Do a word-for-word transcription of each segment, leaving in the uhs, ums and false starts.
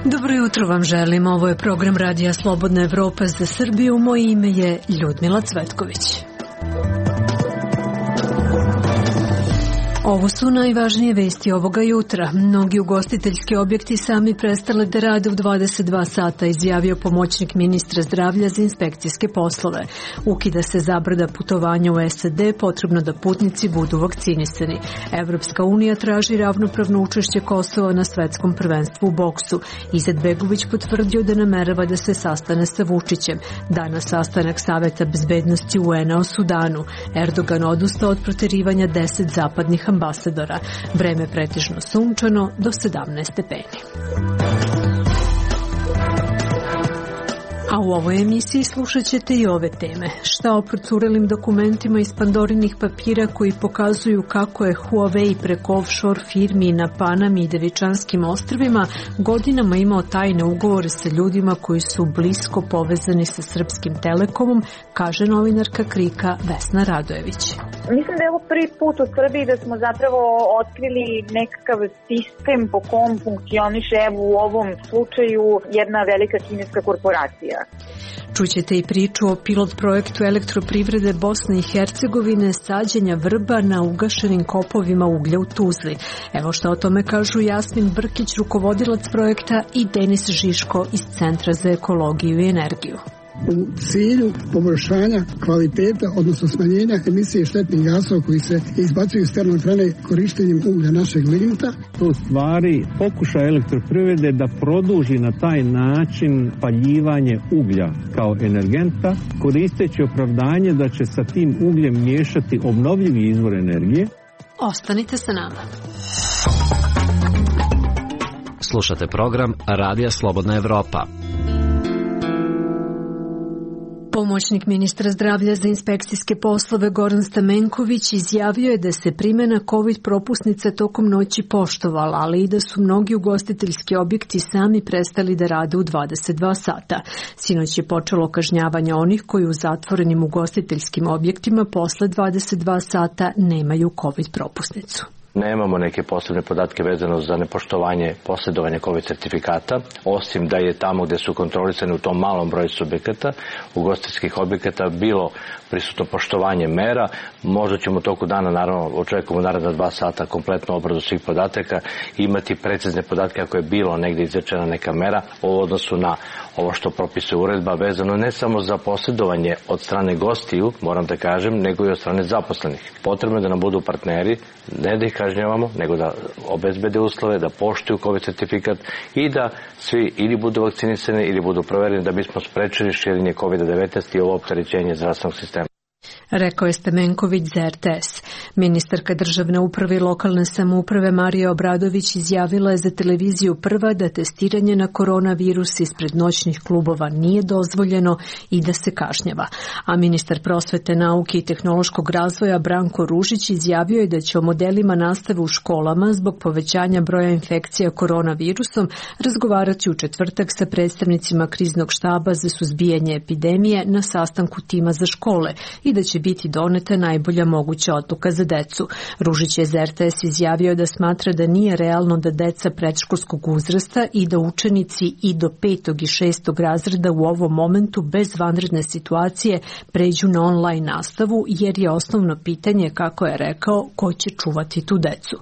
Dobro jutro vam želim. Ovo je program Radija Slobodna Evropa za Srbiju. Moje ime je Ljudmila Cvetković. Ovo su najvažnije vesti ovoga jutra. Mnogi ugostiteljski objekti sami prestale da rade u dvadeset dva sata, izjavio pomoćnik ministra zdravlja za inspekcijske poslove. Ukida se zabrana putovanja u S A D, potrebno da putnici budu vakcinisani. Evropska unija traži ravnopravno učešće Kosova na svetskom prvenstvu u boksu. Izetbegović potvrdio da namerava da se sastane sa Vučićem. Danas sastanak Saveta bezbednosti U N-a o Sudanu. Erdogan odustao od proterivanja deset zapadnih ambasadora. Vreme pretežno sunčano do sedamnaest stepeni. A u ovoj emisiji slušat ćete i ove teme. Šta o procurelim dokumentima iz Pandorinih papira koji pokazuju kako je Huawei preko offshore firmi na Panami i Devičanskim ostrvima godinama imao tajne ugovore sa ljudima koji su blisko povezani sa Srpskim Telekomom, kaže novinarka Krika Vesna Radojević. Mislim da je ovo prvi put u Srbiji da smo zapravo otkrili nekakav sistem po kom funkcioniše, evo u ovom slučaju, jedna velika kineska korporacija. Čućete i priču o pilot projektu elektroprivrede Bosne i Hercegovine, sađenja vrba na ugašenim kopovima uglja u Tuzli. Evo što o tome kažu Jasmin Brkić, rukovodilac projekta, i Denis Žiško iz Centra za ekologiju i energiju. U cilju poboljšanja kvaliteta, odnosno smanjenja emisije štetnih gasova koji se izbacuju iz termoelektrane korištenjem uglja našeg lignita. To u stvari pokušaj elektroprivrede da produži na taj način paljivanje uglja kao energenta, koristeći opravdanje da će sa tim ugljem miješati obnovljivi izvor energije. Ostanite sa nama. Slušate program Radija Slobodna Evropa. Pomoćnik ministra zdravlja za inspekcijske poslove Goran Stamenković izjavio je da se primjena COVID propusnica tokom noći poštovala, ali i da su mnogi ugostiteljski objekti sami prestali da rade u dvadeset dva sata. Sinoć je počelo kažnjavanje onih koji u zatvorenim ugostiteljskim objektima posle dvadeset dva sata nemaju COVID propusnicu. Nemamo neke posebne podatke vezano za nepoštovanje posjedovanja COVID sertifikata, osim da je tamo gde su kontrolisani u tom malom broju subjekata, ugostiteljskih objekata, bilo prisutno poštovanje mera. Možda ćemo u toku dana, naravno, očekujemo naredna dva sata kompletnu obradu svih podataka, imati precizne podatke ako je bilo negdje izrečena neka mera u odnosu na ovo što propisuje uredba, vezano ne samo za posjedovanje od strane gostiju, moram da kažem, nego i od strane zaposlenih. Potrebno je da nam budu partneri, ne da ih kažnjavamo, nego da obezbede uslove, da poštuju COVID sertifikat i da svi ili budu vakcinisani ili budu provereni da bismo sprečili širenje kovid devetnaest i ovo opterećenje zdravstvenog sistema. Rekao je Stamenković za R T S. Ministarka državne uprave i lokalne samouprave Marija Obradović izjavila je za televiziju Prva da testiranje na koronavirus ispred noćnih klubova nije dozvoljeno i da se kažnjava. A ministar prosvete, nauke i tehnološkog razvoja Branko Ružić izjavio je da će o modelima nastave u školama zbog povećanja broja infekcija koronavirusom razgovarati u četvrtak sa predstavnicima kriznog štaba za suzbijanje epidemije na sastanku tima za škole i da će biti doneta najbolja moguća odluka za decu. Ružić je za R T S izjavio da smatra da nije realno da deca predškolskog uzrasta i da učenici i do petog i šestog razreda u ovom momentu bez vanredne situacije pređu na online nastavu, jer je osnovno pitanje, kako je rekao, ko će čuvati tu decu.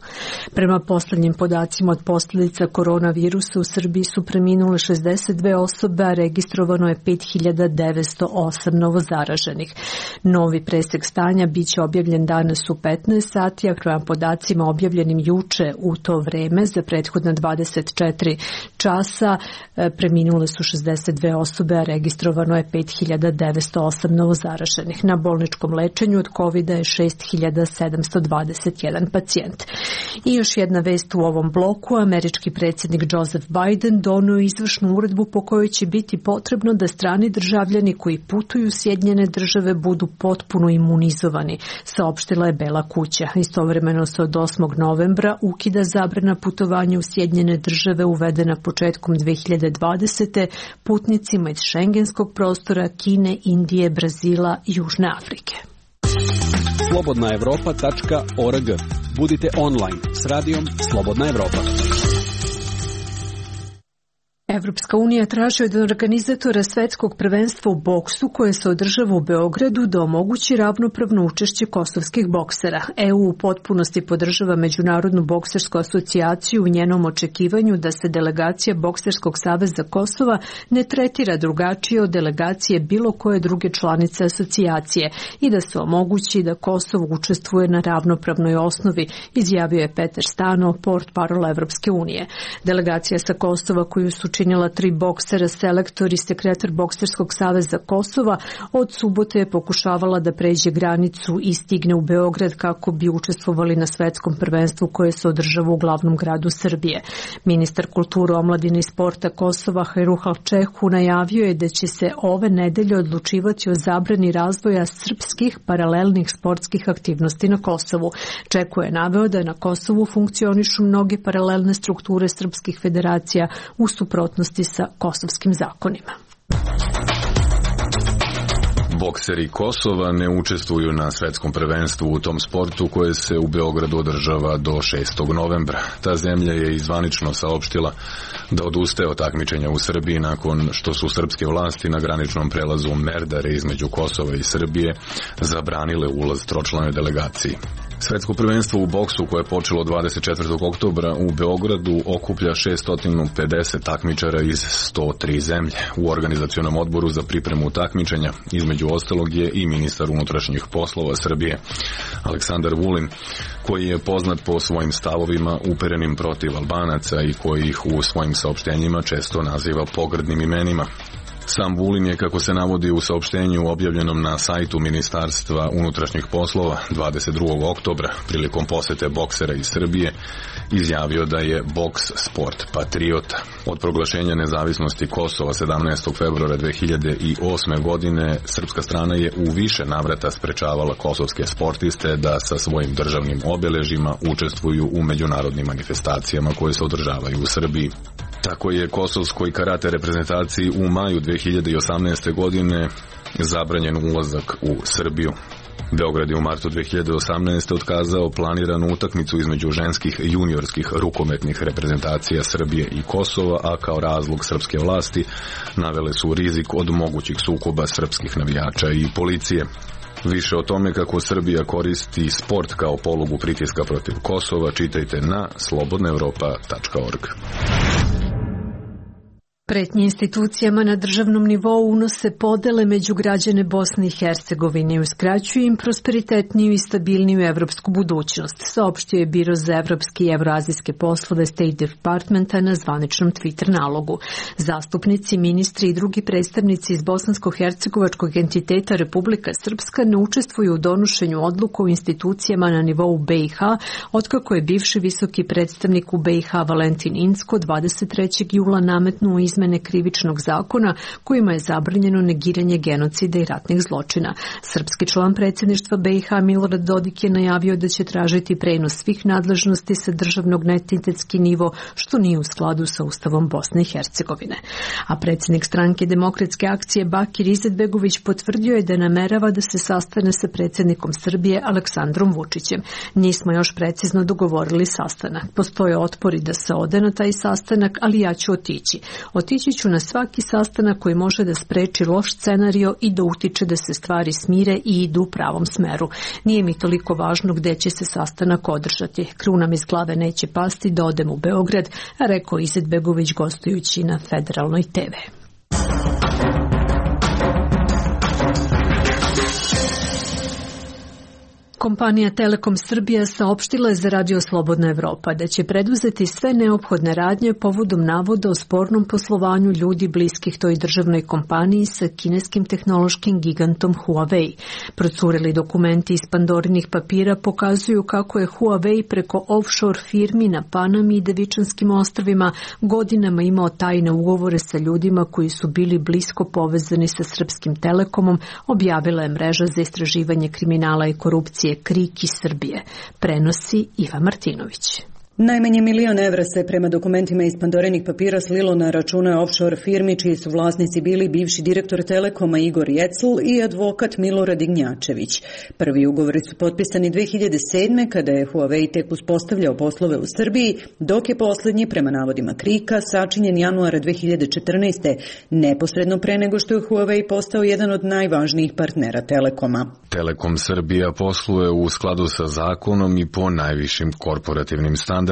Prema poslednjim podacima od posljedica koronavirusa u Srbiji su preminule šezdeset dve osobe, a registrovano je pet hiljada devetsto osam novozaraženih. Novi presek stanja biće objavljen danas u petnaest sati, a prema podacima objavljenim juče u to vreme za prethodna dvadeset četiri časa preminule su šezdeset dve osobe, a registrovano je pet hiljada devetsto osam novozaraženih. Na bolničkom lečenju od kovida je šest hiljada sedamsto dvadeset jedan pacijent. I još jedna vest u ovom bloku. Američki predsjednik Joseph Biden donio izvršnu uredbu po kojoj će biti potrebno da strani državljani koji putuju u Sjedinjene Države budu potpuno potpuno imunizovani, saopštila je Bela kuća. Istovremeno se od osmog novembra ukida zabrana putovanja u Sjedinjene države uvedena početkom dve hiljade dvadesete putnicima iz šengenskog prostora Kine, Indije, Brazila i Južne Afrike. slobodna evropa tačka org. Budite online s radijom Slobodna Evropa. Evropska unija traži od organizatora svetskog prvenstva u boksu koje se održava u Beogradu da omogući ravnopravno učešće kosovskih boksera. E U u potpunosti podržava Međunarodnu boksersku asocijaciju u njenom očekivanju da se delegacija Bokserskog saveza Kosova ne tretira drugačije od delegacije bilo koje druge članice asocijacije i da se omogući da Kosovo učestvuje na ravnopravnoj osnovi, izjavio je Petar Stano, portparol Evropske unije. Delegacija sa Kosova koju su činila tri boksera, selektor i sekretar Bokserskog saveza Kosova, od subote je pokušavala da pređe granicu i stigne u Beograd kako bi učestvovali na svetskom prvenstvu koje se održava u glavnom gradu Srbije. Ministar kulture, omladine i sporta Kosova Hajruhal Čehu najavio je da će se ove nedelje odlučivati o zabrani razvoja srpskih paralelnih sportskih aktivnosti na Kosovu. Čehu je naveo da na Kosovu funkcionišu mnoge paralelne strukture srpskih federacija u suprotnosti sa kosovskim zakonima. Bokseri Kosova ne učestvuju na svetskom prvenstvu u tom sportu koje se u Beogradu održava do šestog novembra. Ta zemlja je izvanično saopštila da odustaje od takmičenja u Srbiji nakon što su srpske vlasti na graničnom prelazu Merdare između Kosova i Srbije zabranile ulaz tročlanoj delegaciji. Svetsko prvenstvo u boksu koje je počelo dvadeset četvrtog oktobra u Beogradu okuplja šesto pedeset takmičara iz sto tri zemlje. U organizacionom odboru za pripremu takmičenja između ostalog je i ministar unutrašnjih poslova Srbije Aleksandar Vulin, koji je poznat po svojim stavovima uperenim protiv Albanaca i koji ih u svojim saopštenjima često naziva pogrdnim imenima. Sam Vulin je, kako se navodi u saopštenju objavljenom na sajtu Ministarstva unutrašnjih poslova dvadeset drugog oktobra prilikom posete boksera iz Srbije, izjavio da je boks sport patriota. Od proglašenja nezavisnosti Kosova sedamnaestog februara dve hiljade osme. godine srpska strana je u više navrata sprečavala kosovske sportiste da sa svojim državnim obeležjima učestvuju u međunarodnim manifestacijama koje se održavaju u Srbiji. Tako je kosovskoj karate reprezentaciji u maju dve hiljade osamnaeste. godine zabranjen ulazak u Srbiju. Beograd je u martu dve hiljade osamnaeste. otkazao planiranu utakmicu između ženskih juniorskih rukometnih reprezentacija Srbije i Kosova, a kao razlog srpske vlasti navele su rizik od mogućih sukoba srpskih navijača i policije. Više o tome kako Srbija koristi sport kao polugu pritiska protiv Kosova čitajte na slobodna evropa tačka org. Pretnje institucijama na državnom nivou unose podele među građane Bosne i Hercegovine i uskraćuju im prosperitetniju i stabilniju evropsku budućnost, saopštio je Biro za evropske i evroazijske poslove State Departmenta na zvaničnom Twitter nalogu. Zastupnici, ministri i drugi predstavnici iz bosansko-hercegovačkog entiteta Republika Srpska ne učestvuju u donošenju odluka u institucijama na nivou B i H, otkako je bivši visoki predstavnik u B i H Valentin Incko dvadeset trećeg jula nametnuo izmene krivičnog zakona kojima je zabranjeno negiranje genocida i ratnih zločina. Srpski član predsjedništva B i H Milorad Dodik je najavio da će tražiti prenos svih nadležnosti sa državnog na entitetski nivo, što nije u skladu sa Ustavom Bosne i Hercegovine. A predsjednik stranke Demokratske akcije Bakir Izetbegović potvrdio je da namerava da se sastane sa predsjednikom Srbije Aleksandrom Vučićem. Nismo još precizno dogovorili sastanak. Postoje otpori da se ode na taj sastanak, ali ja ću otići. Otići ću na svaki sastanak koji može da spreči loš scenario i da utiče da se stvari smire i idu u pravom smeru. Nije mi toliko važno gde će se sastanak održati. Kruna mi iz glave neće pasti da odem u Beograd, a rekao Izetbegović gostujući na federalnoj te ve. Kompanija Telekom Srbija saopštila je za Radio Slobodna Evropa da će preduzeti sve neophodne radnje povodom navoda o spornom poslovanju ljudi bliskih toj državnoj kompaniji sa kineskim tehnološkim gigantom Huawei. Procureli dokumenti iz Pandorinih papira pokazuju kako je Huawei preko offshore firmi na Panami i Devičanskim ostrvima godinama imao tajne ugovore sa ljudima koji su bili blisko povezani sa Srpskim Telekomom, objavila je mreža za istraživanje kriminala i korupcije KRIK iz Srbije. Prenosi Iva Martinović. Najmanje milion evra se prema dokumentima iz Pandorinih papira slilo na račune offshore firmi čiji su vlasnici bili bivši direktor Telekoma Igor Jecl i advokat Milorad Ignjačević. Prvi ugovori su potpisani dve hiljade sedme kada je Huawei tek uspostavljao poslove u Srbiji, dok je poslednji, prema navodima KRIK-a, sačinjen januara dve hiljade četrnaeste. neposredno pre nego što je Huawei postao jedan od najvažnijih partnera Telekoma. Telekom Srbija posluje u skladu sa zakonom i po najvišim korporativnim standardima.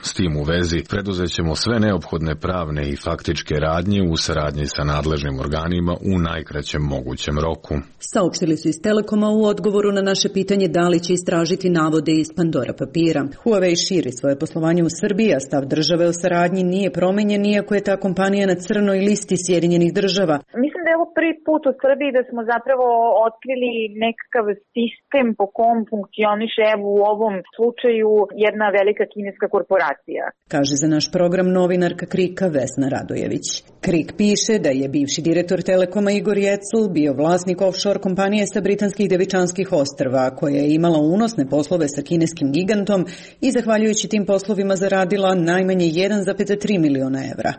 S tim u vezi preduzećemo sve neophodne pravne i faktičke radnje u saradnji sa nadležnim organima u najkraćem mogućem roku. Saopštili su iz Telekoma u odgovoru na naše pitanje da li će istražiti navode iz Pandora papira. Huawei širi svoje poslovanje u Srbiji, a stav države o saradnji nije promenjen, iako je ta kompanija na crnoj listi Sjedinjenih država. Mislim da je ovo prvi put u Srbiji da smo zapravo otkrili nekakav sistem po kom funkcioniše, evo u ovom slučaju, jedna velika kineska korporacija. Kaže za naš program novinarka KRIK-a Vesna Radojević. KRIK piše da je bivši direktor Telekoma Igor Jecl bio vlasnik offshore kompanije sa britanskih Devičanskih ostrva, koja je imala unosne poslove sa kineskim gigantom i zahvaljujući tim poslovima zaradila najmanje jedan zarez tri miliona evra.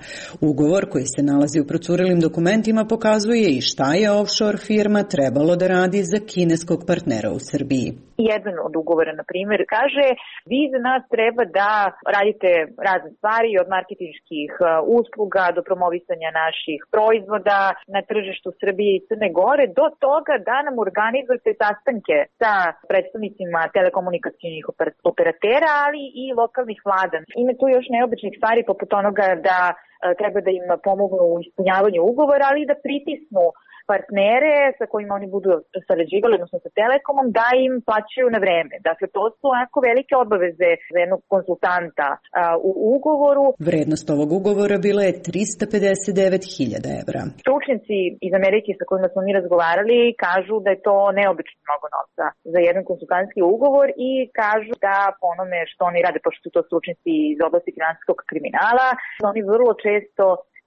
Ugovor koji se nalazi u procurelim dokumentima pokazuje i šta je offshore firma trebalo da radi za kineskog partnera u Srbiji. Jedan od ugovora, na primjer, kaže vi za nas treba da radite razne stvari od marketinških usluga do promovisanja naših proizvoda na tržištu Srbije i Crne Gore do toga da nam organizujete sastanke sa predstavnicima telekomunikacijnih operatera, ali i lokalnih vlada. Ima tu još neobičnih stvari poput onoga da treba da im pomognu u ispunjavanju ugovora, ali i da pritisnu partnere sa kojima oni budu sarađivali, odnosno sa Telekomom, da im plaćaju na vreme. Dakle, to su onako velike obaveze za jednog konsultanta a, u ugovoru. Vrednost ovog ugovora bila je trista pedeset devet hiljada evra. Stručnjaci iz Amerike sa kojima smo mi razgovarali kažu da je to neobično mnogo novca za jedan konsultantski ugovor i kažu da po onome što oni rade, pošto su to stručnjaci iz oblasti finansijskog kriminala, oni vrlo često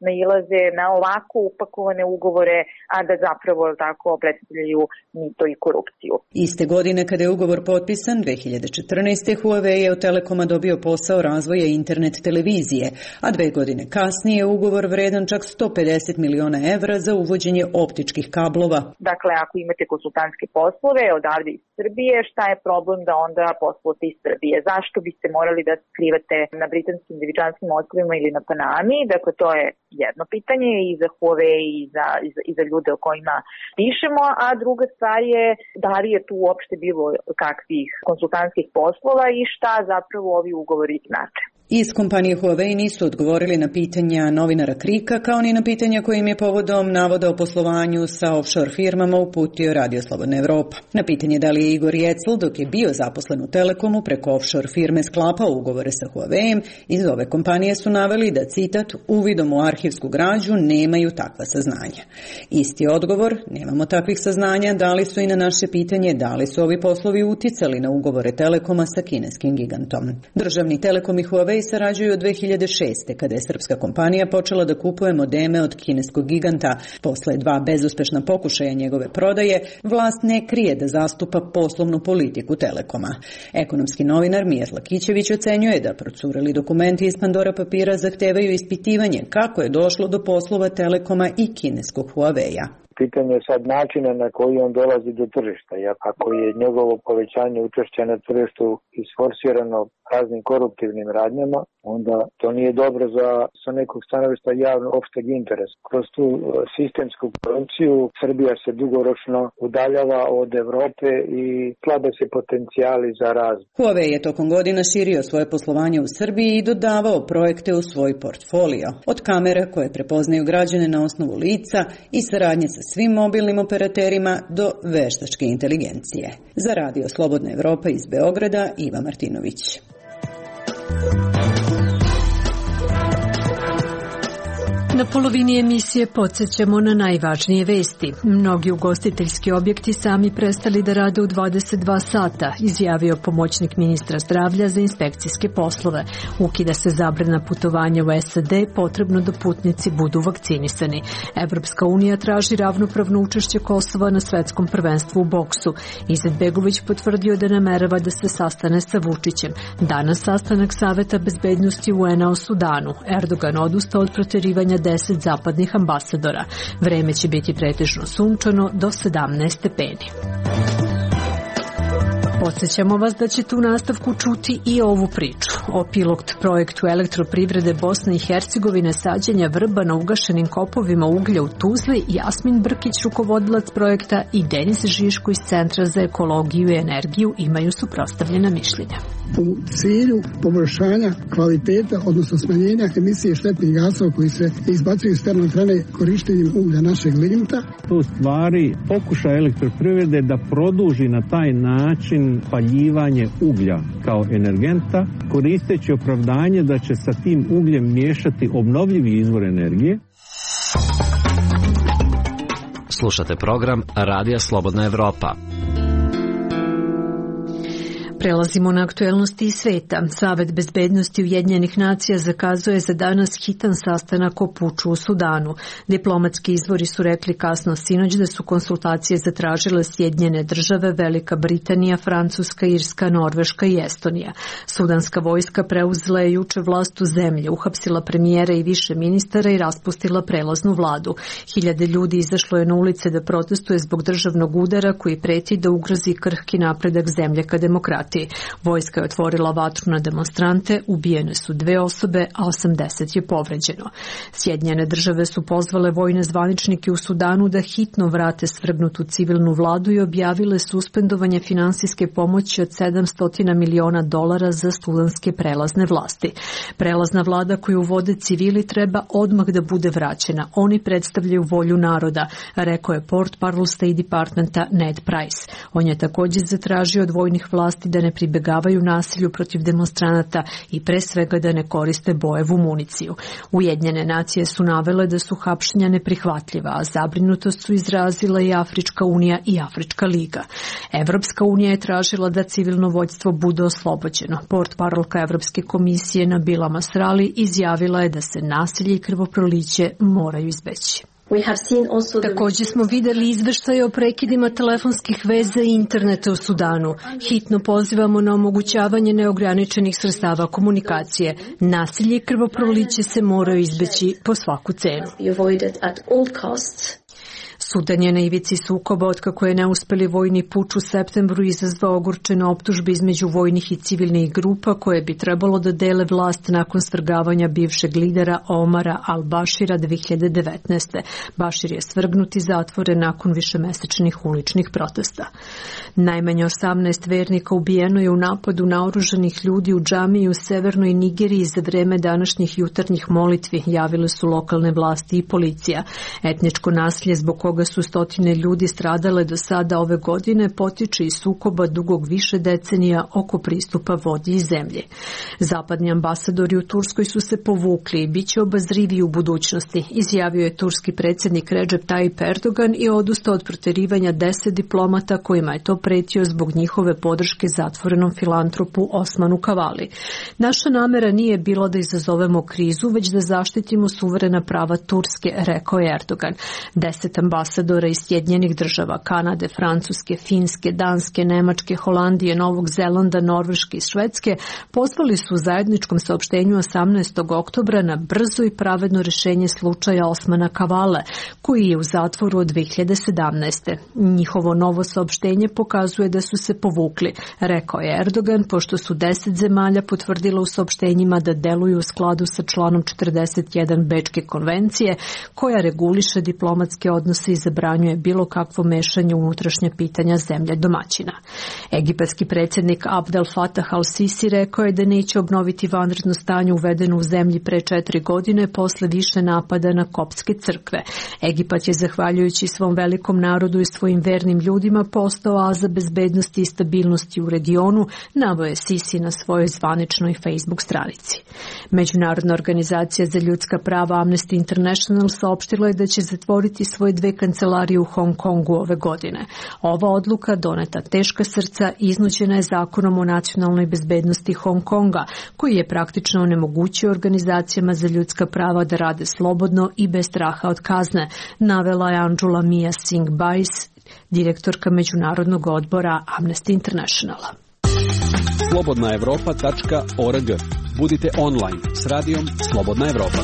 nailaze na ovako upakovane ugovore, a da zapravo tako predstavljaju mito i korupciju. Iste godine kada je ugovor potpisan, dve hiljade četrnaeste. Huawei je od Telekoma dobio posao razvoja internet televizije, a dve godine kasnije ugovor vredan čak sto pedeset miliona evra za uvođenje optičkih kablova. Dakle, ako imate konsultantske poslove odavde iz Srbije, šta je problem da onda poslujete iz Srbije? Zašto biste morali da skrivate na britanskim Devičanskim ostrvima ili na Panami? Dakle, to je jedno pitanje i za Huawei i za, i za, i za ljude o kojima pišemo, a druga stvar je da li je tu uopšte bilo kakvih konsultantskih poslova i šta zapravo ovi ugovori znače. Iz kompanije Huawei nisu odgovorili na pitanja novinara KRIK-a, kao ni na pitanja kojim je povodom navoda o poslovanju sa offshore firmama uputio Radio Slobodna Evropa. Na pitanje da li je Igor Jecl, dok je bio zaposlen u Telekomu, preko offshore firme sklapao ugovore sa Huawei-em, iz ove kompanije su naveli da, citat, uvidom u arhivsku građu nemaju takva saznanja. Isti odgovor, nemamo takvih saznanja, dali su i na naše pitanje da li su ovi poslovi uticali na ugovore Telekoma sa kineskim gigantom. Državni Telekom i Huawei sarađuju od dve hiljade šeste. kada je srpska kompanija počela da kupuje modeme od kineskog giganta. Posle dva bezuspešna pokušaja njegove prodaje, vlast ne krije da zastupa poslovnu politiku Telekoma. Ekonomski novinar Mijat Lakićević ocenjuje da procureli dokumenti iz Pandora papira zahtevaju ispitivanje kako je došlo do poslova Telekoma i kineskog Huawei-a. Pitanje je sad načina na koji on dolazi do tržišta. Ako je njegovo povećanje učešća na tržištu isforsirano raznim koruptivnim radnjama, onda to nije dobro za, sa nekog stanovišta javno opšteg interesa. Kroz tu sistemsku korupciju Srbija se dugoročno udaljava od Evrope i slabe se potencijali za razvoj. Huawei je tokom godina širio svoje poslovanje u Srbiji i dodavao projekte u svoj portfolio. Od kamera koje prepoznaju građane na osnovu lica i saradnje sa svim mobilnim operaterima do veštačke inteligencije. Za Radio Slobodna Evropa iz Beograda, Iva Martinović. Na polovini emisije podsjećamo na najvažnije vesti. Mnogi ugostiteljski objekti sami prestali da rade u dvadeset dva sata, izjavio pomoćnik ministra zdravlja za inspekcijske poslove. Ukida se zabrana putovanja u S A D, potrebno da putnici budu vakcinisani. Evropska unija traži ravnopravno učešće Kosova na svetskom prvenstvu u boksu. Izetbegović potvrdio da namerava da se sastane sa Vučićem. Danas sastanak Saveta bezbednosti U N A o Sudanu. Erdogan odustao od proterivanja deset zapadnih ambasadora. Vreme će biti pretežno sunčano do sedamnaest stepeni. Podsjećamo vas da ćete u nastavku čuti i ovu priču o pilot projektu elektroprivrede Bosne i Hercegovine sađenja vrba na ugašenim kopovima uglja u Tuzli. Jasmin Brkić, rukovodilac projekta, i Denis Žiško iz Centra za ekologiju i energiju imaju suprotstavljena mišljenja. U cilju poboljšanja kvaliteta, odnosno smanjenja emisije štetnih gasova koji se izbacuju iz termoelektrane korištenjem uglja našeg lignita. To u stvari pokušaj elektroprivrede da produži na taj način paljivanje uglja kao energenta, koristeći opravdanje da će sa tim ugljem miješati obnovljivi izvor energije. Slušate program Radija Slobodna Evropa. Prelazimo na aktuelnosti iz sveta. Savet bezbednosti Ujedinjenih nacija zakazuje za danas hitan sastanak o puču u Sudanu. Diplomatski izvori su rekli kasno sinoć da su konsultacije zatražile Sjedinjene države, Velika Britanija, Francuska, Irska, Norveška i Estonija. Sudanska vojska preuzela je juče vlast u zemlji, uhapsila premijera i više ministara i raspustila prelaznu vladu. Hiljade ljudi izašlo je na ulice da protestuje zbog državnog udara koji preti da ugrozi krhki napredak zemlje ka demokratiji. Vojska je otvorila vatru na demonstrante, ubijene su dve osobe, a osamdeset je povređeno. Sjedinjene države su pozvale vojne zvaničnike u Sudanu da hitno vrate svrgnutu civilnu vladu i objavile suspendovanje finansijske pomoći od sedamsto miliona dolara za sudanske prelazne vlasti. Prelazna vlada koju vode civili treba odmah da bude vraćena. Oni predstavljaju volju naroda, rekao je portparol State Departmenta Ned Price. On je također zatražio od vojnih vlasti da ne pribegavaju nasilju protiv demonstranata i pre svega da ne koriste bojevu municiju. Ujedinjene nacije su navele da su hapšenja neprihvatljiva, a zabrinutost su izrazila i Afrička unija i Afrička liga. Evropska unija je tražila da civilno vođstvo bude oslobođeno. Portparolka Evropske komisije Nabila Masrali izjavila je da se nasilje i krvoproliće moraju izbeći. Također smo vidjeli izveštaje o prekidima telefonskih veza i interneta u Sudanu. Hitno pozivamo na omogućavanje neograničenih sredstava komunikacije. Nasilje i krvoproliće se moraju izbeći po svaku cenu. Sudan je na ivici sukoba otkako je neuspeli vojni puč u septembru izazvao ogorčene optužbe između vojnih i civilnih grupa koje bi trebalo da dele vlast nakon svrgavanja bivšeg lidera Omara al-Bashira dve hiljade devetnaeste. Bashir je svrgnut i zatvoren nakon višemesečnih uličnih protesta. Najmanje osamnaest vernika ubijeno je u napadu naoružanih ljudi u džamiji u severnoj Nigeriji za vreme današnjih jutarnjih molitvi, javile su lokalne vlasti i policija. Etničko nasilje zbog koga su stotine ljudi stradale do sada ove godine potiče iz sukoba dugog više decenija oko pristupa vodi i zemlje. Zapadni ambasadori u Turskoj su se povukli i bit će obazrivi u budućnosti, izjavio je turski predsjednik Recep Tayyip Erdogan i odustao od proterivanja deset diplomata kojima je to pretio zbog njihove podrške zatvorenom filantropu Osmanu Kavali. Naša namera nije bila da izazovemo krizu, već da zaštitimo suverena prava Turske, rekao je Erdogan. Deset ambasadora iz Sjedinjenih država, Kanade, Francuske, Finske, Danske, Nemačke, Holandije, Novog Zelanda, Norveške i Švedske pozvali su u zajedničkom saopštenju osamnaestog oktobra na brzo i pravedno rješenje slučaja Osmana Kavale, koji je u zatvoru od dve hiljade sedamnaeste. Njihovo novo saopštenje pokazuje da su se povukli, rekao je Erdogan, pošto su deset zemalja potvrdila u saopštenjima da deluju u skladu sa članom četrdeset jedan Bečke konvencije, koja reguliše diplomatske odnose i zabranjuje bilo kakvo mešanje u unutrašnja pitanja zemlje domaćina. Egipatski predsjednik Abdel Fattah al-Sisi rekao je da neće obnoviti vanredno stanje uvedeno u zemlji pre četiri godine posle više napada na koptske crkve. Egipat je zahvaljujući svom velikom narodu i svojim vernim ljudima postao oaza bezbednosti i stabilnosti u regionu, naveo je Sisi na svojoj zvaničnoj Facebook stranici. Međunarodna organizacija za ljudska prava Amnesty International saopštila je da će zatvoriti svoje dve kancelarije u Hong Kongu ove godine. Ova odluka, doneta teška srca, iznuđena je zakonom o nacionalnoj bezbednosti Hong Konga, koji je praktično onemogućio organizacijama za ljudska prava da rade slobodno i bez straha od kazne, navela je Anjula Mia Singh Bais, direktorka Međunarodnog odbora Amnesty Internationala. slobodna evropa tačka org. Budite online s radijom Slobodna Evropa.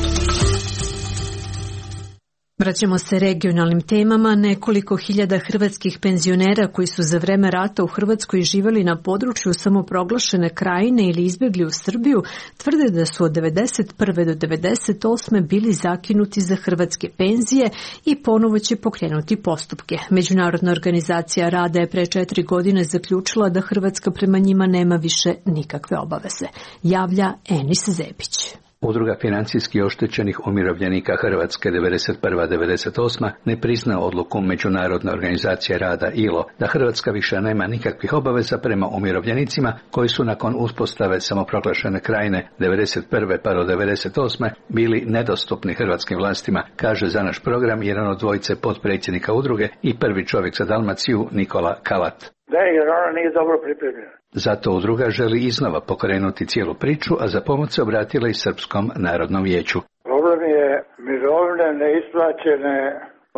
Vraćamo se regionalnim temama. Nekoliko hiljada hrvatskih penzionera koji su za vreme rata u Hrvatskoj živjeli na području samoproglašene Krajine ili izbjegli u Srbiju tvrde da su od devedeset prve do devedeset osme bili zakinuti za hrvatske penzije i ponovo će pokrenuti postupke. Međunarodna organizacija rada je pre četiri godine zaključila da Hrvatska prema njima nema više nikakve obaveze. Javlja Enis Zebić. Udruga financijski oštećenih umirovljenika Hrvatske devedeset prva do devedeset osma ne prizna odluku Međunarodne organizacije rada I L O da Hrvatska više nema nikakvih obaveza prema umirovljenicima koji su nakon uspostave samoproglašene Krajine devedeset prve pa do devedeset osme bili nedostupni hrvatskim vlastima, kaže za naš program jedan od dvojice potpredsjednika udruge i prvi čovjek za Dalmaciju Nikola Kalat. Da, jer ona nije dobro pripremljena. Zato udruga želi iznova pokrenuti cijelu priču, a za pomoć se obratila i Srpskom narodnom vijeću. Problem je mirovine neisplaćene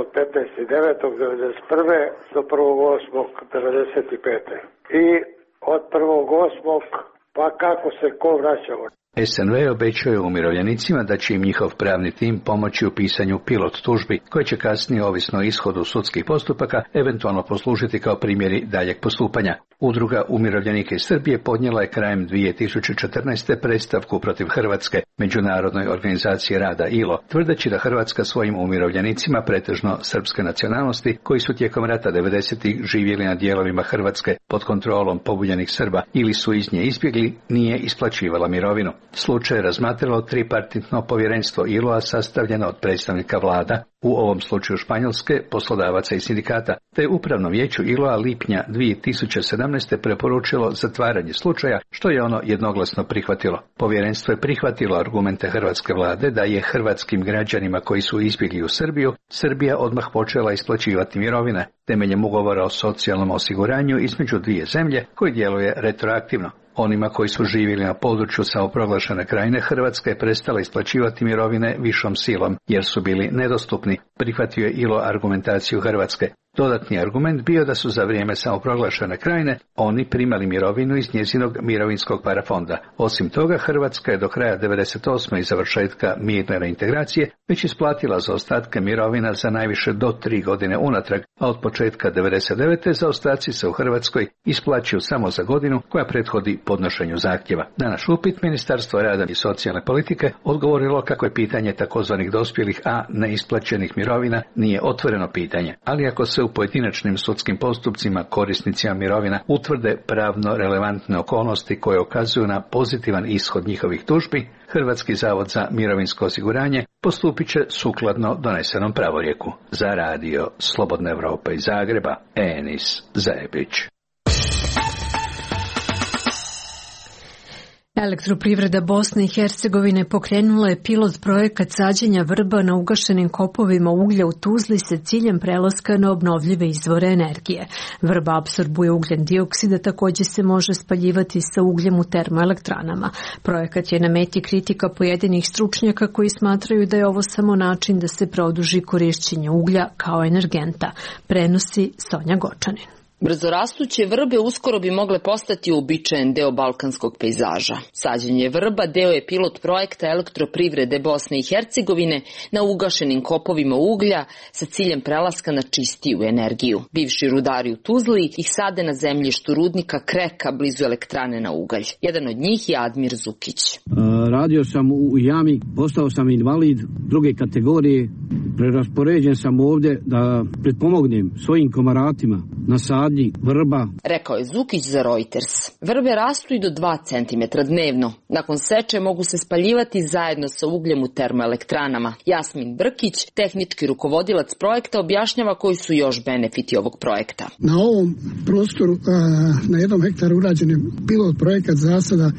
od petnaestog devetog devedeset prve do prvog osmog devedeset pete i od prvog osmog pa kako se ko vraćao. S N V obećuje umirovljenicima da će im njihov pravni tim pomoći u pisanju pilot tužbi, koje će kasnije, ovisno o ishodu sudskih postupaka, eventualno poslužiti kao primjeri daljeg postupanja. Udruga umirovljenika iz Srbije podnijela je krajem dvije tisuće četrnaeste predstavku protiv Hrvatske Međunarodnoj organizaciji rada I L O, tvrdeći da Hrvatska svojim umirovljenicima, pretežno srpske nacionalnosti, koji su tijekom rata devedesetih živjeli na dijelovima Hrvatske pod kontrolom pobunjenih Srba ili su iz nje izbjegli, nije isplaćivala mirovinu. Slučaj je razmatralo tripartitno povjerenstvo I L O-a sastavljeno od predstavnika vlada, u ovom slučaju Španjolske, poslodavaca i sindikata, te upravno vijeću I L O-a lipnja dvije tisuće sedamnaeste preporučilo zatvaranje slučaja, što je ono jednoglasno prihvatilo. Povjerenstvo je prihvatilo argumente hrvatske vlade da je hrvatskim građanima koji su izbjegli u Srbiju, Srbija odmah počela isplaćivati mirovine temeljem ugovora o socijalnom osiguranju između dvije zemlje koji djeluje retroaktivno. Onima koji su živjeli na području samoproglašene Krajine, Hrvatska je prestala isplaćivati mirovine višom silom, jer su bili nedostupni, prihvatio je I L O argumentaciju Hrvatske. Dodatni argument bio da su za vrijeme samoproglašene Krajine oni primali mirovinu iz njezinog mirovinskog parafonda. Osim toga, Hrvatska je do kraja devedeset osme i završetka mirne reintegracije već isplatila zaostatke mirovina za najviše do tri godine unatrag, a od početka devedeset devete zaostaci se u Hrvatskoj isplaćuju samo za godinu koja prethodi podnošenju zahtjeva. Na naš upit Ministarstvo rada i socijalne politike odgovorilo kako je pitanje takozvanih dospjelih, a neisplaćenih mirovina nije otvoreno pitanje, ali ako se u pojedinačnim sudskim postupcima korisnicima mirovina utvrde pravno relevantne okolnosti koje ukazuju na pozitivan ishod njihovih tužbi, Hrvatski zavod za mirovinsko osiguranje postupit će sukladno donesenom pravorijeku. Za radio Slobodna Evropa iz Zagreba, Enis Zebić. Elektroprivreda Bosne i Hercegovine pokrenula je pilot projekat sađenja vrba na ugašenim kopovima uglja u Tuzli sa ciljem prelaska na obnovljive izvore energije. Vrba apsorbuje ugljen dioksid, a također se može spaljivati sa ugljem u termoelektranama. Projekat je na meti kritika pojedinih stručnjaka koji smatraju da je ovo samo način da se produži korišćenje uglja kao energenta, prenosi Sonja Gočanin. Brzorastuće vrbe uskoro bi mogle postati uobičajen deo balkanskog pejzaža. Sađenje vrba deo je pilot projekta Elektroprivrede Bosne i Hercegovine na ugašenim kopovima uglja sa ciljem prelaska na čistiju energiju. Bivši rudari u Tuzli ih sade na zemljištu rudnika Kreka blizu elektrane na ugalj. Jedan od njih je Admir Zukić. Radio sam u jami, postao sam invalid druge kategorije. Preraspoređen sam ovdje da pretpomognem svojim komaratima na sadnji vrba. Rekao je Zukić za Reuters. Vrbe rastu i do dva centimetra dnevno. Nakon seče mogu se spaljivati zajedno sa ugljem u termoelektranama. Jasmin Brkić, tehnički rukovodilac projekta, objašnjava koji su još benefiti ovog projekta. Na ovom prostoru na jednom hektaru urađen je pilot projekat zasada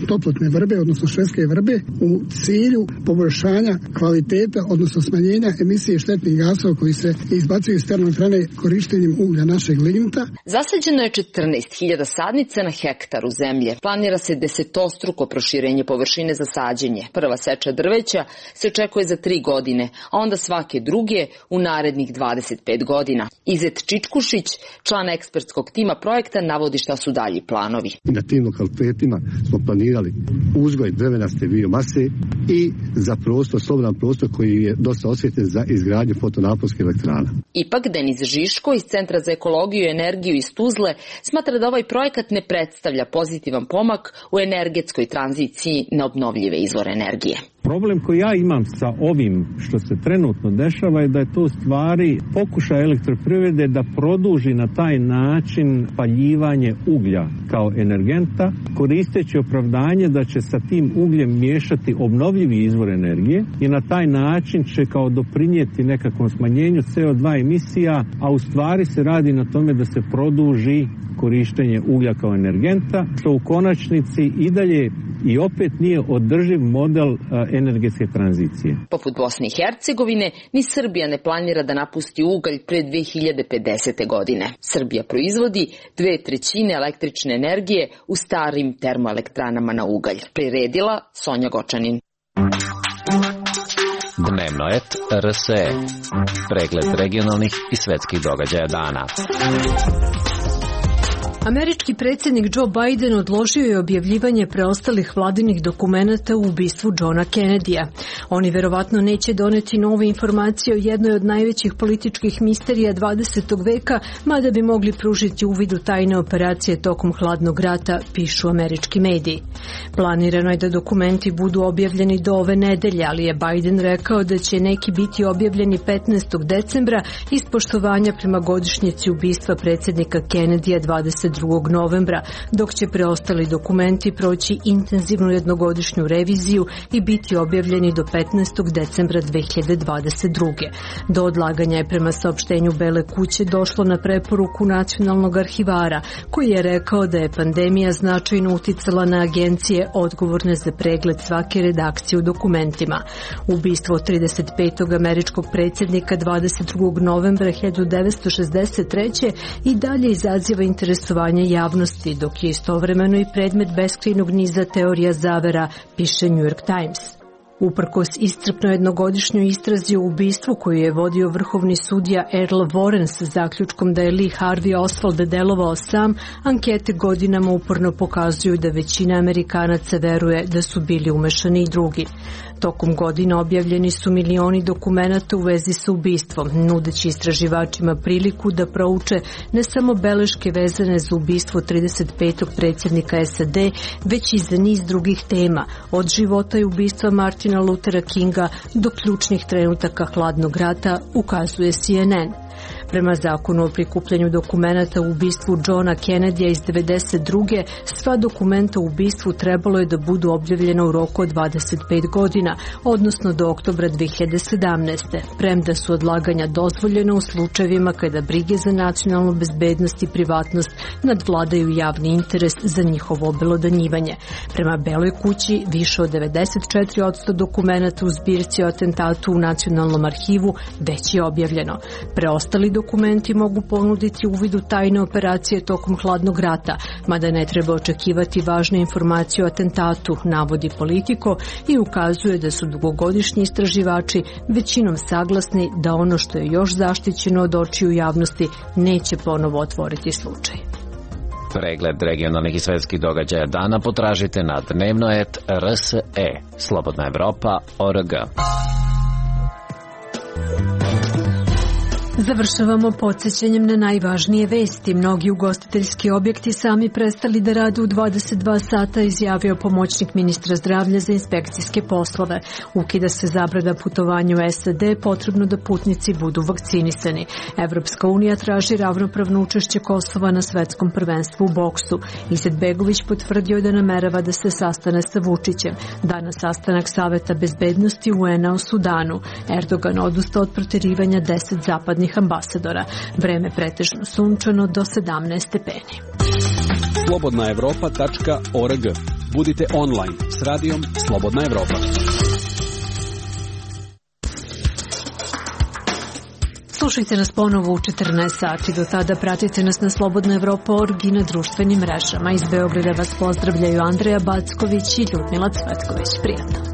toplotne vrbe, odnosno švedske vrbe, u cilju poboljšanja kvaliteta, odnosno smanjenja emisije štetnih gasova koji se izbacuju iz termoelektrane korištenjem uglja našeg lignita. Zasađeno je četrnaest hiljada sadnica na hektaru zemlje. Planira se desetostruko proširenje površine za sađenje. Prva seča drveća se očekuje za tri godine, a onda svake druge u narednih dvadeset pet godina. Izet Čičkušić, član ekspertskog tima projekta, navodi šta su dalji planovi. Na tim lokalitetima smo planirali uzgoj drvenaste biomase i za prostor, slobodan prostor koji je dosta osvjetljen za izgradnju fotonaponskih elektrana. Ipak Denis Žiško iz Centra za ekologiju i energiju iz Tuzle smatra da ovaj projekat ne predstavlja pozitivan pomak u energetskoj tranziciji na obnovljive izvore energije. Problem koji ja imam sa ovim što se trenutno dešava je da je to u stvari pokušaj elektroprivrede da produži na taj način paljivanje uglja kao energenta, koristeći opravdanje da će sa tim ugljem miješati obnovljivi izvor energije i na taj način će kao doprinijeti nekakvom smanjenju C O dva emisija, a u stvari se radi na tome da se produži korištenje uglja kao energenta, što u konačnici i dalje i opet nije održiv model energetske tranzicije. Poput Bosne i Hercegovine, ni Srbija ne planira da napusti ugalj pre dve hiljade pedesete. godine. Srbija proizvodi dve trećine električne energije u starim termoelektranama na ugalj. Priredila Sonja Gočanin. Dnevno et R S E. Pregled regionalnih i svetskih događaja dana. Američki predsjednik Joe Biden odložio je objavljivanje preostalih vladinih dokumenata u ubistvu Johna Kennedyja. Oni verovatno neće doneti nove informacije o jednoj od najvećih političkih misterija dvadesetog veka, mada bi mogli pružiti uvid u tajne operacije tokom hladnog rata, pišu američki mediji. Planirano je da dokumenti budu objavljeni do ove nedelje, ali je Biden rekao da će neki biti objavljeni petnaestog decembra iz poštovanja prema godišnjici ubistva predsjednika Kennedyja dvadeset drugog novembra, dok će preostali dokumenti proći intenzivnu jednogodišnju reviziju i biti objavljeni do petnaestog decembra dve hiljade dvadeset druge. Do odlaganja je prema saopštenju Bele kuće došlo na preporuku nacionalnog arhivara, koji je rekao da je pandemija značajno uticala na agencije odgovorne za pregled svake redakcije u dokumentima. Ubistvo trideset petog američkog predsjednika dvadeset drugog novembra hiljadu devetsto šezdeset treće i dalje izaziva interesovanje javnosti, dok je istovremeno i predmet beskrajnog niza teorija zavera, piše New York Times. Uprkos iscrpno jednogodišnjoj istrazi o ubistvu koju je vodio vrhovni sudija Earl Warren sa zaključkom da je Lee Harvey Oswald delovao sam, ankete godinama uporno pokazuju da većina Amerikanaca veruje da su bili umešani i drugi. Tokom godina objavljeni su milioni dokumenata u vezi sa ubistvom, nudeći istraživačima priliku da prouče ne samo beleške vezane za ubistvo trideset petog predsjednika S A D, već i za niz drugih tema, od života i ubistva Martina Luthera Kinga do ključnih trenutaka hladnog rata, ukazuje C N N. Prema zakonu o prikupljanju dokumenata u ubistvu Johna Kennedyja iz devedeset druge. sva dokumenta u ubistvu trebalo je da budu objavljena u roku od dvadeset pet godina, odnosno do oktobra dve hiljade sedamnaeste. Premda su odlaganja dozvoljena u slučajevima kada brige za nacionalnu bezbednost i privatnost nadvladaju javni interes za njihovo obelodanjivanje. Prema Beloj kući, više od devedeset četiri posto dokumenata u zbirci o atentatu u Nacionalnom arhivu već je objavljeno. Preostali dokumenti mogu ponuditi uvid u tajne operacije tokom hladnog rata, mada ne treba očekivati važne informacije o atentatu, navodi Politico i ukazuje da su dugogodišnji istraživači većinom saglasni da ono što je još zaštićeno od očiju javnosti neće ponovo otvoriti slučaj. Pregled regionalnih i svetskih događaja dana potražite na dnevnoet R S E, Slobodna Evropa, O R G. Završavamo podsjećanjem na najvažnije vesti. Mnogi ugostiteljski objekti sami prestali da rade u dvadeset dva sata, izjavio pomoćnik ministra zdravlja za inspekcijske poslove. Ukida se zabrana putovanja u S A D, potrebno da putnici budu vakcinisani. Evropska unija traži ravnopravno učešće Kosova na svetskom prvenstvu u boksu. Izetbegović potvrdio da namerava da se sastane sa Vučićem. Danas sastanak Saveta bezbednosti U N A o Sudanu. Erdogan odustao od proterivanja deset zapadnih ambasadora. Vreme pretežno sunčano do sedamnaest stepeni. slobodna evropa tačka org. Budite online s radijom Slobodna Evropa. Slušajte nas ponovo u četrnaest sati. Do tada pratite nas na Slobodna Evropa точка орг i na društvenim mrežama. Iz Beograda vas pozdravljaju Andreja Backović i Ljudmila Cvetković. Prijatno.